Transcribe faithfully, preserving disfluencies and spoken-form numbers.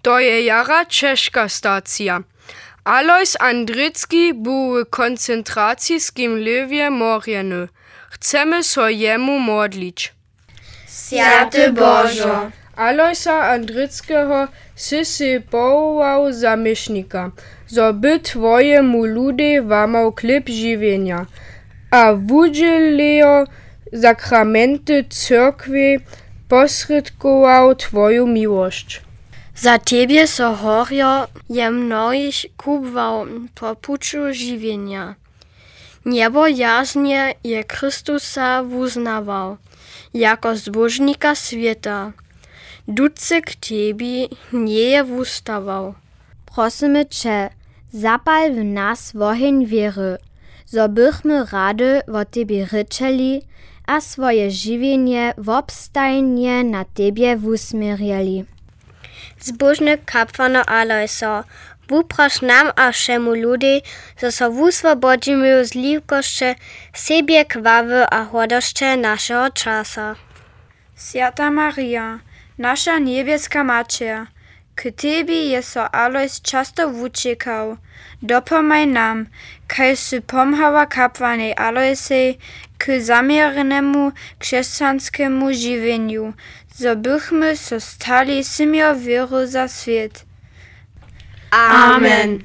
To je jara ćežka stacija. Alojs Andricki bu w koncentraciskim lěwje morjeny. Chcemy so jemu modlić. Swjaty Božo. Alojsa Andrickeho sy sej powołał za měšnika, zo by twojemu ludej łamał chlěb žiwjenja a wudźělejo sakramenty cyrkwje posrědkował twoju miłosć. Za tebje so horjo je mnohich kubłał po puću žiwjenja. Njebojaznje je Chrystusa wuznawał jako zbóžnika swěta. Ducy k tebi njeje wustawał. Prosymy će, zapal w nas woheń wěry, zo bychmy rady wo tebje rěčeli a swoje žiwjenje wobstajnje na tebje wusměrjeli. Zbóžny kapłano Alojso, wuproš nam a wšemu ludej, zo so wuswobodźimy z liwkosće, sebje, chwały a hordosće našeho časa. Swjata Marija, naša njebjeska Maćer, k tebi je so Alojs často wućěkał. Dopomhaj nam, kaž sy pomhała kapłanej Alojsej k zaměrnemu křesćanskemu žiwjenju, zo bychmy so stali syměr wěry za swět. Amen.